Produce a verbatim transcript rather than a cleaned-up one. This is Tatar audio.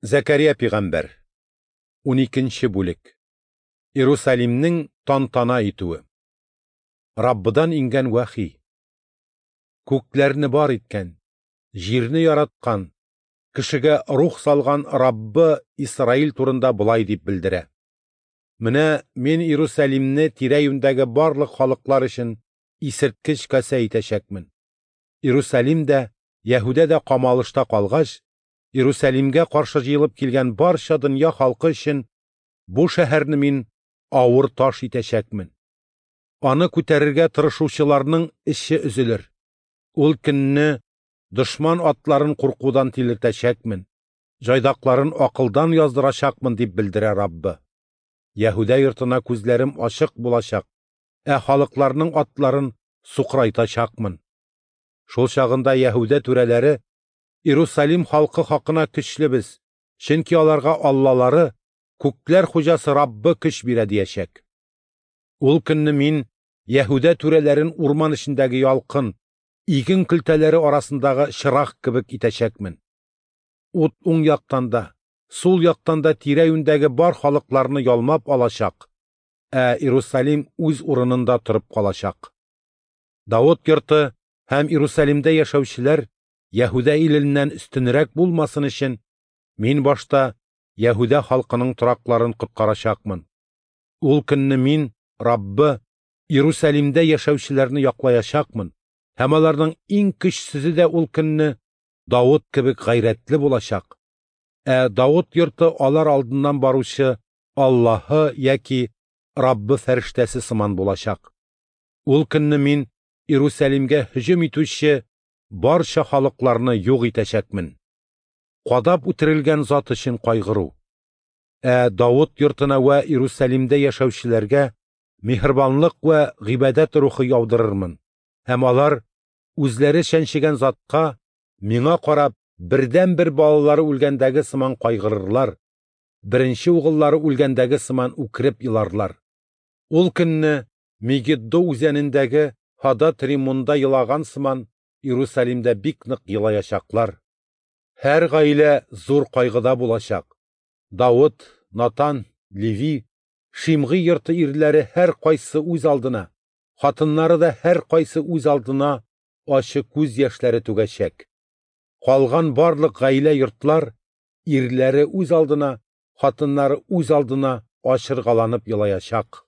Зәкәрия пигамбәр. Уникенче бүлек. Иерусалимнең тантана итүе. Раббыдан иңгән вәхи. Күкләрне бар иткән, җирне яраткан, кешегә рух салган Раббы Исраил турында болай дип белдерә: Менә мин Иерусалимне тирә-юньдәге барлык халыклар өчен исерткеч касә итәчәкмен. Иерусалим дә, Яһүдә дә камалышта калгач, Иерусалимгә каршы җыелып килгән барча дөнья халкы өчен бу шәһәрне мин авыр таш итәчәкмен. Аны күтәрергә тырышучыларның эче өзелер. Ул көнне дошман атларын куркудан тилертәчәкмен, җайдакларын акылдан яздырачакмын, дип белдерә Раббы. Яһүдә йортына күзләрем ачык булачак, ә халыкларның атларын сукрайтачакмын. Шул чагында Яһүдә түрәләре Иерусалим халкы хакына көчлебез, чөнки аларга аллалары, күкләр хуҗасы Раббы көч бирә диячәк. Ул көнне мин Яһүдә түрәләрен урман эчендәге ялкын, иген көлтәләре арасындагы чырак кебек итәчәкмен. Ут уң яктан да, сул яктан да тирә-юньдәге бар халыкларны ялмап алачак, ә Иерусалим үз урынында торып калачак. Давыт йорты һәм Иерусалимдә яшәүчеләр Яһүдә иленнән өстенрәк булмасын өчен, мин башта Яһүдә халкының торакларын коткарачакмын. Ул көнне мин, Раббы, Иерусалимдә яшәүчеләрне яклаячакмын, һәм аларның иң көчсезе дә ул көнне Давыт кебек гайрәтле булачак. Ә Давыт йорты алар алдыннан баручы Аллаһы яки Раббы фәрештәсе сыман булачак. Ул көнне мин Иерусалимгә һөҗүм итүче барча халыкларны юк итәчәкмен. Кадап үтерелгән зат өчен кайгыру. Ә Давыт йортына вә Иерусалимдә яшәүчеләргә миһербанлык вә гыйбадәт рухы яудырырмын, һәм алар үзләре чәнчегән затка миңа карап бердән-бер балалары үлгәндәге сыман кайгырырлар, беренче угыллары үлгәндәге сыман үкереп еларлар. Ул көнне Мегиддо үзәнендәге Һадад Римунда елаган сыман Иерусалимдә бик нык елаячаклар. Һәр гаилә зур кайгыда булачак. Давыт, Натан, Леви, Шимгый йорты ирләре һәр кайсы үз алдына, хатыннары да һәр кайсы үз алдына ачы күз яшьләре түгәчәк. Калган барлык гаилә йортлар ирләре үз алдына, хатыннары үз алдына ачыргаланып елаячак.